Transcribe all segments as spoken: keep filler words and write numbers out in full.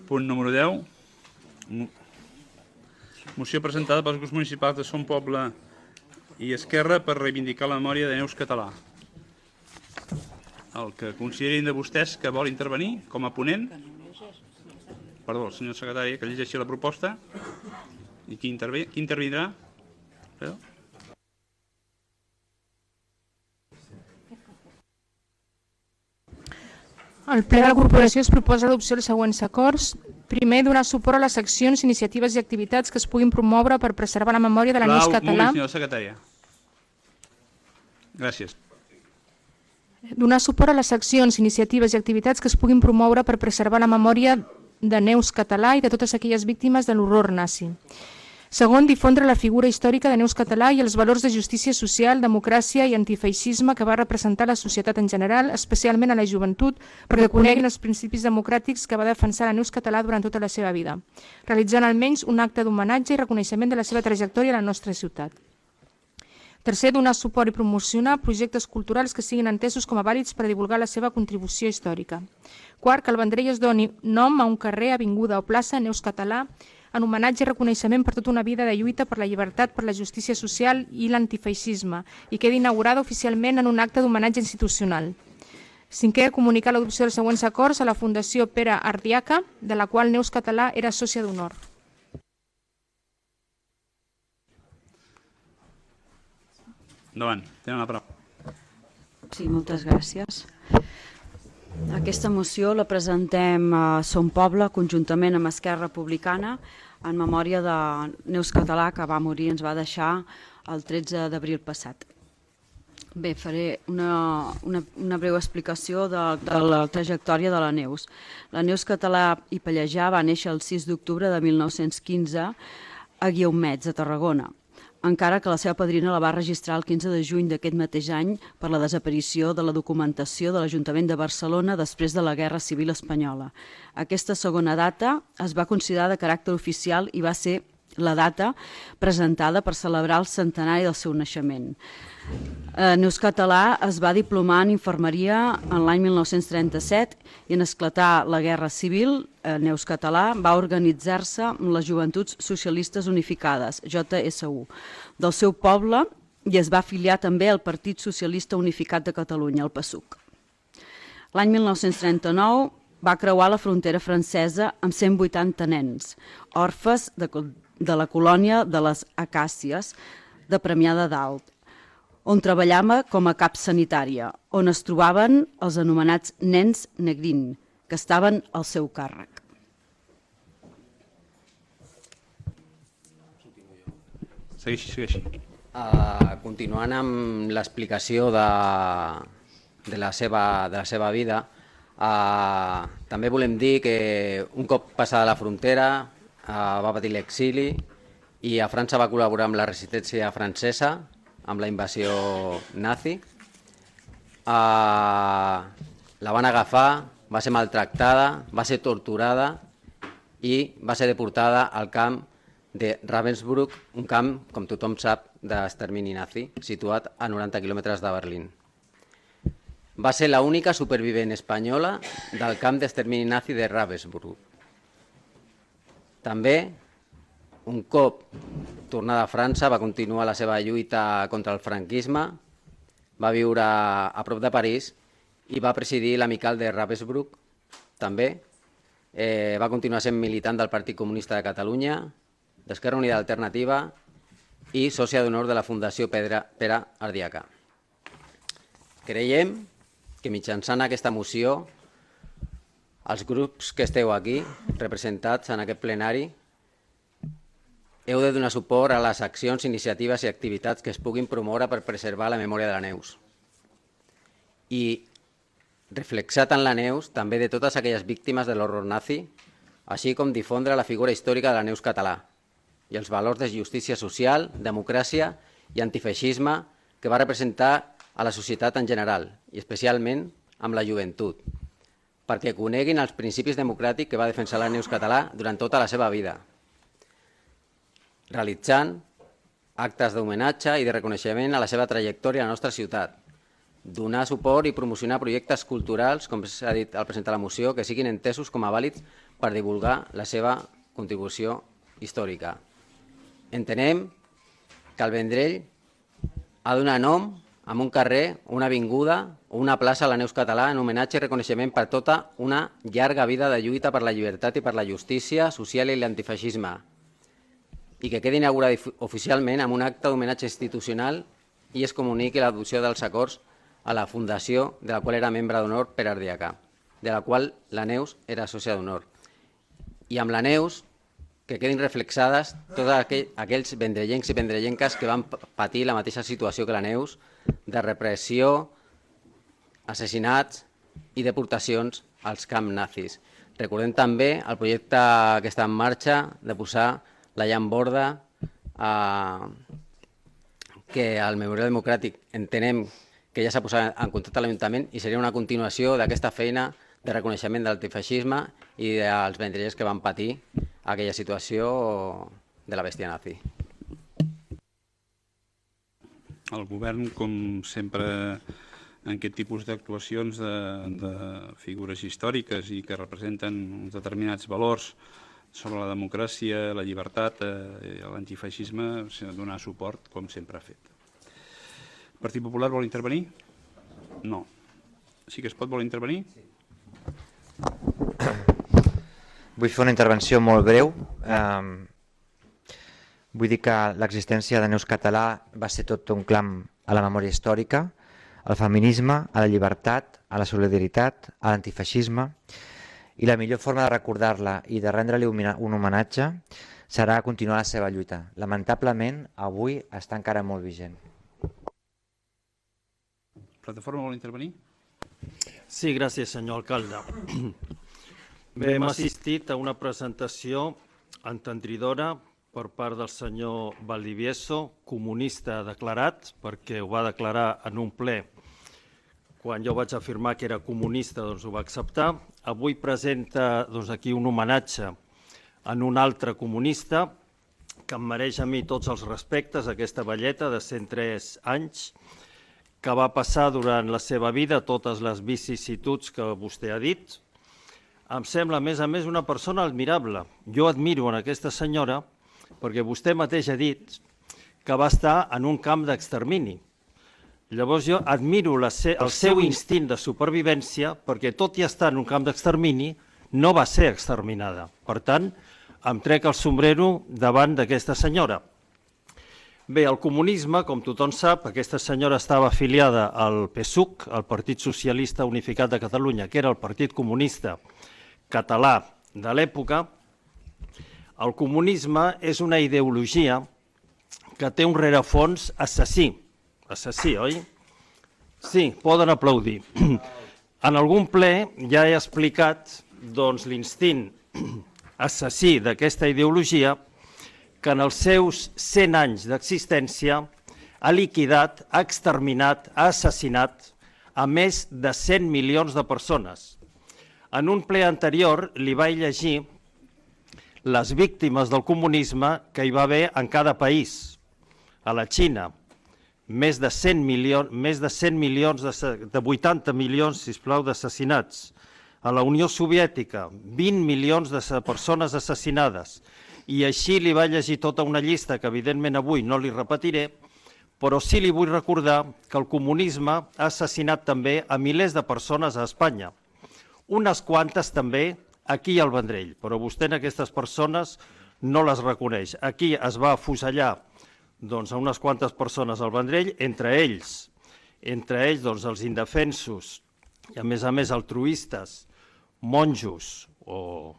Punt número deu. Moció presentada pels grups municipals de Som Poble i Esquerra per reivindicar la memòria de Neus Català. El que considerin de vostès que vol intervenir com a ponent, perdó, el senyor secretari, que llegeixi la proposta. I qui, intervé, qui intervindrà? Perdó. Al ple de la corporació es proposa l'adopció dels següents acords. Primer, donar suport a les accions, iniciatives i activitats que es puguin promoure per preservar la memòria de la Neus Català. Un moment, senyora secretària. Gràcies. Donar suport a les accions, iniciatives i activitats que es puguin promoure per preservar la memòria de Neus Català i de totes aquelles víctimes de l'horror nazi. Segon, difondre la figura històrica de Neus Català i els valors de justícia social, democràcia i antifeixisme que va representar la societat en general, especialment a la joventut, perquè coneguin els principis democràtics que va defensar la Neus Català durant tota la seva vida, realitzant almenys un acte d'homenatge i reconeixement de la seva trajectòria a la nostra ciutat. Tercer, donar suport i promocionar projectes culturals que siguin entesos com a vàlids per divulgar la seva contribució històrica. Quart, que el Vendrell es doni nom a un carrer, avinguda o plaça Neus Català en homenatge i reconeixement per tota una vida de lluita per la llibertat, per la justícia social i l'antifeixisme i quedi inaugurada oficialment en un acte d'homenatge institucional. Cinquè, comunicar l'adopció dels següents acords a la Fundació Pere Ardiaca, de la qual Neus Català era sòcia d'honor. Endavant, tenen la paraula. Sí, moltes gràcies. Aquesta moció la presentem a Som Poble conjuntament amb Esquerra Republicana en memòria de Neus Català, que va morir i ens va deixar el tretze d'abril passat. Bé, faré una, una, una breu explicació de, de la trajectòria de la Neus. La Neus Català i Pallejà va néixer el sis d'octubre de mil nou-cents quinze a Guiaumets, a Tarragona, encara que la seva padrina la va registrar el quinze de juny d'aquest mateix any per la desaparició de la documentació de l'Ajuntament de Barcelona després de la Guerra Civil Espanyola. Aquesta segona data es va considerar de caràcter oficial i va ser la data presentada per celebrar el centenari del seu naixement. Neus Català es va diplomar en infermeria en l'any mil nou-cents trenta-set i en esclatar la Guerra Civil, Neus Català va organitzar-se amb les Joventuts Socialistes Unificades, J S U, del seu poble i es va afiliar també al Partit Socialista Unificat de Catalunya, el PASUC. L'any mil nou-cents trenta-nou va creuar la frontera francesa amb cent vuitanta nens, orfes de, de la colònia de les Acàcies de Premià de Dalt, on treballava com a cap sanitària, on es trobaven els anomenats nens Negrín, que estaven al seu càrrec. Segueixi, segueixi. Uh, continuant amb l'explicació de, de, la seva, de la seva vida, uh, també volem dir que un cop passada la frontera uh, va patir l'exili i a França va col·laborar amb la resistència francesa, amb la invasió nazi. Uh, la van agafar, va ser maltractada, va ser torturada i va ser deportada al camp de Ravensbrück, un camp, com tothom sap, d'extermini nazi, situat a noranta quilòmetres de Berlín. Va ser l'única supervivent espanyola del camp d'extermini nazi de Ravensbrück. També, un cop tornada a França, va continuar la seva lluita contra el franquisme, va viure a prop de París i va presidir l'Amical de Ravensbrück. També eh, va continuar sent militant del Partit Comunista de Catalunya, d'Esquerra Unida Alternativa i sòcia d'honor de la Fundació Pere, Pere Ardiaca. Creiem que mitjançant aquesta moció els grups que esteu aquí representats en aquest plenari heu de donar suport a les accions, iniciatives i activitats que es puguin promoure per preservar la memòria de la Neus. I reflexar en la Neus també de totes aquelles víctimes de l'horror nazi, així com difondre la figura històrica de la Neus Català i els valors de justícia social, democràcia i antifeixisme que va representar a la societat en general i especialment amb la joventut, perquè coneguin els principis democràtics que va defensar la Neus Català durant tota la seva vida, realitzant actes d'homenatge i de reconeixement a la seva trajectòria a la nostra ciutat, donar suport i promocionar projectes culturals, com s'ha dit al presentar la moció, que siguin entesos com a vàlids per divulgar la seva contribució històrica. Entenem que el Vendrell ha de donar nom a un carrer, una avinguda o una plaça a la Neus Català en homenatge i reconeixement per tota una llarga vida de lluita per la llibertat i per la justícia social i l'antifeixisme, i que quedi inaugurada oficialment amb un acte d'homenatge institucional i es comuniqui l'adopció dels acords a la fundació de la qual era membre d'honor per Ardiacà, de la qual la Neus era sòcia d'honor. I amb la Neus que quedin reflexades tots aquell, aquells vendrellencs i vendrellenques que van patir la mateixa situació que la Neus, de repressió, assassinats i deportacions als camps nazis. Recordem també el projecte que està en marxa de posar la llamborda eh, que al Memorial Democràtic entenem que ja s'ha posat en contacte amb l'Ajuntament i seria una continuació d'aquesta feina de reconeixement de l'antifeixisme i dels vendrellers que van patir aquella situació de la bèstia nazi. El govern, com sempre, en aquest tipus d'actuacions de, de figures històriques i que representen uns determinats valors sobre la democràcia, la llibertat i eh, l'antifeixisme, donar suport, com sempre ha fet. El Partit Popular vol intervenir? No. Sí que es pot vol intervenir? Sí. Vull fer una intervenció molt breu. Vull dir que l'existència de Neus Català va ser tot un clam a la memòria històrica, al feminisme, a la llibertat, a la solidaritat, a l'antifeixisme, i la millor forma de recordar-la i de rendre-li un homenatge serà continuar la seva lluita. Lamentablement, avui està encara molt vigent. Plataforma vol intervenir? Sí, gràcies, senyor alcalde. Bé, hem assistit a una presentació entendridora per part del senyor Valdivieso, comunista declarat, perquè ho va declarar en un ple. Quan jo vaig afirmar que era comunista, doncs ho va acceptar. Avui presenta doncs, aquí un homenatge en un altre comunista que em mereix a mi tots els respectes, aquesta velleta de cent tres anys, que va passar durant la seva vida totes les vicissituds que vostè ha dit. Em sembla, a més a més, una persona admirable. Jo admiro en aquesta senyora perquè vostè mateix ha dit que va estar en un camp d'extermini. Llavors jo admiro la se el seu instint de supervivència perquè tot i estar en un camp d'extermini no va ser exterminada. Per tant, em trec el sombrero davant d'aquesta senyora. Bé, el comunisme, com tothom sap, aquesta senyora estava afiliada al P S U C, al Partit Socialista Unificat de Catalunya, que era el Partit Comunista Català de l'època. El comunisme és una ideologia que té un rerefons assassí. Assassí, oi? Sí, poden aplaudir. En algun ple ja he explicat doncs, l'instint assassí d'aquesta ideologia que en els seus cent anys d'existència ha liquidat, ha exterminat, ha assassinat a més de cent milions de persones. En un ple anterior li vaig llegir les víctimes del comunisme que hi va haver en cada país. A la Xina, més de cent milions, més de cent milions, de vuitanta milions, sisplau, d'assassinats. A la Unió Soviètica, vint milions de persones assassinades. I així li vaig llegir tota una llista que evidentment avui no li repetiré, però sí li vull recordar que el comunisme ha assassinat també a milers de persones a Espanya. Unes quantes també aquí al Vendrell, però vostè en aquestes persones no les reconeix. Aquí es va afusellar doncs, a unes quantes persones al Vendrell, entre ells, entre ells doncs, els indefensos i a més a més altruistes, monjos o,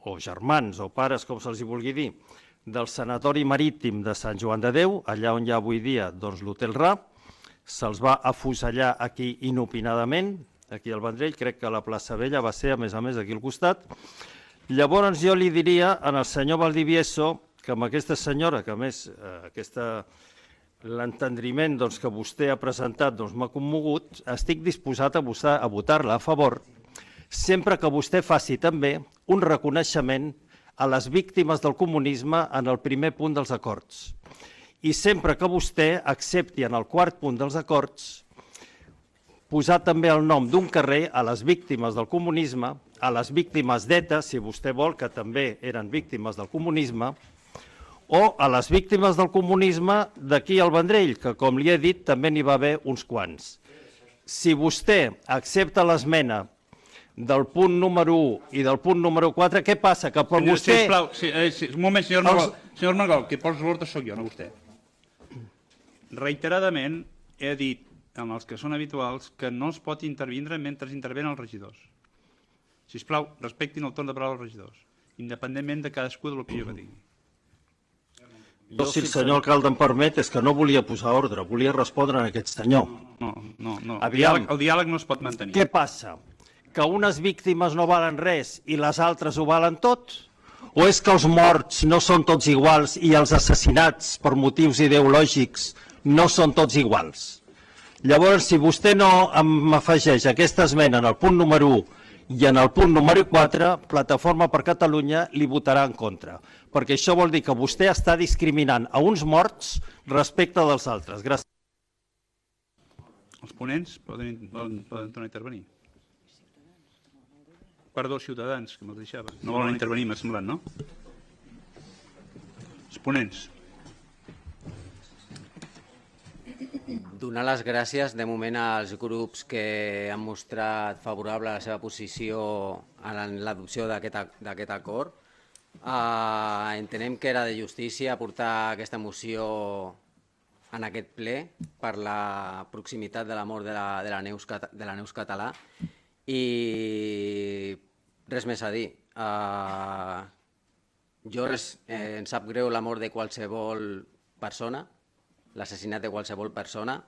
o germans o pares, com se'ls vulgui dir, del sanatori marítim de Sant Joan de Déu, allà on hi ha avui dia doncs, l'Hotel Ra, se'ls va afusellar aquí inopinadament, aquí al Vendrell, crec que la plaça Vella va ser, a més a més, aquí al costat. Llavors jo li diria al senyor Valdivieso que amb aquesta senyora, que a més l'entendriment que vostè ha presentat m'ha commogut, estic disposat a votar-la a favor, sempre que vostè faci també un reconeixement a les víctimes del comunisme en el primer punt dels acords. I sempre que vostè accepti en el quart punt dels acords posar també el nom d'un carrer a les víctimes del comunisme a les víctimes d'ETA, si vostè vol, que també eren víctimes del comunisme, o a les víctimes del comunisme d'aquí al Vendrell, que, com li he dit, també n'hi va haver uns quants. Si vostè accepta l'esmena del punt número u i del punt número quatre, què passa? Que per vostè... Sisplau, sí, eh, sí, un moment, senyor Armengol. Senyor Armengol, qui posa l'ordre sóc jo, no vostè. Reiteradament he dit amb els que són habituals que no es pot intervindre mentre intervenen els regidors. Sisplau, respectin el torn de paraula dels regidors, independentment de cadascú de l'opinió que tingui. Jo, si el senyor alcalde em permet, és que no volia posar ordre, volia respondre a aquest senyor. No, no, no. El Aviam. diàleg, el diàleg no es pot mantenir. Què passa? Que unes víctimes no valen res i les altres ho valen tot? O és que els morts no són tots iguals i els assassinats per motius ideològics no són tots iguals? Llavors, si vostè no m'afegeix aquesta esmena en el punt número u i en el punt número quatre, Plataforma per Catalunya li votarà en contra, perquè això vol dir que vostè està discriminant a uns morts respecte dels altres. Gràcies. Els ponents poden, poden, poden tornar a intervenir. Perdó, Ciutadans, que me'ls deixava. No volen intervenir, m'ha semblat, no? Els ponents. Donar les gràcies de moment als grups que han mostrat favorable a la seva posició en l'adopció d'aquest acord. Uh, entenem que era de justícia portar aquesta moció en aquest ple per la proximitat de la mort de la, de la, Neus, de la Neus Català i res més a dir. Uh, jo res, eh, em sap greu la mort de qualsevol persona, l'assassinat de qualsevol persona,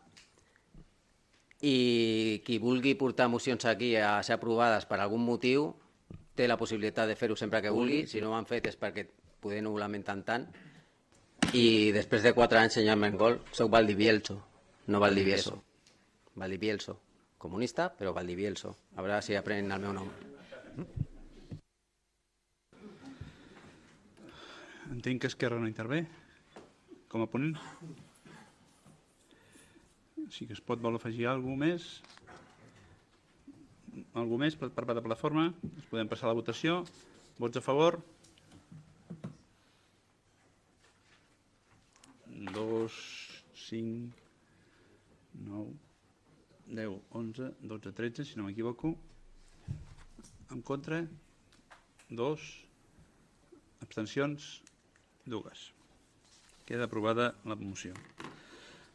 i qui vulgui portar mocions aquí a ser aprovades per algun motiu té la possibilitat de fer-ho sempre que vulgui. Si no ho han fet és perquè poder no ho lamenten tant. I després de quatre anys, senyor Armengol, soc Valdivielso, no Valdivieso. Valdivielso, comunista, però Valdivielso. A veure si aprenen el meu nom. Entenc que Esquerra no intervé com a ponent. Sí que es pot vol afegir alguna cosa més. Alguna més per part de la plataforma? Es podem passar a la votació. Vots a favor? dos, cinc, nou, deu, onze, dotze, tretze, si no m'equivoco. En contra? dos. Abstencions? Dues. Queda aprovada la moció.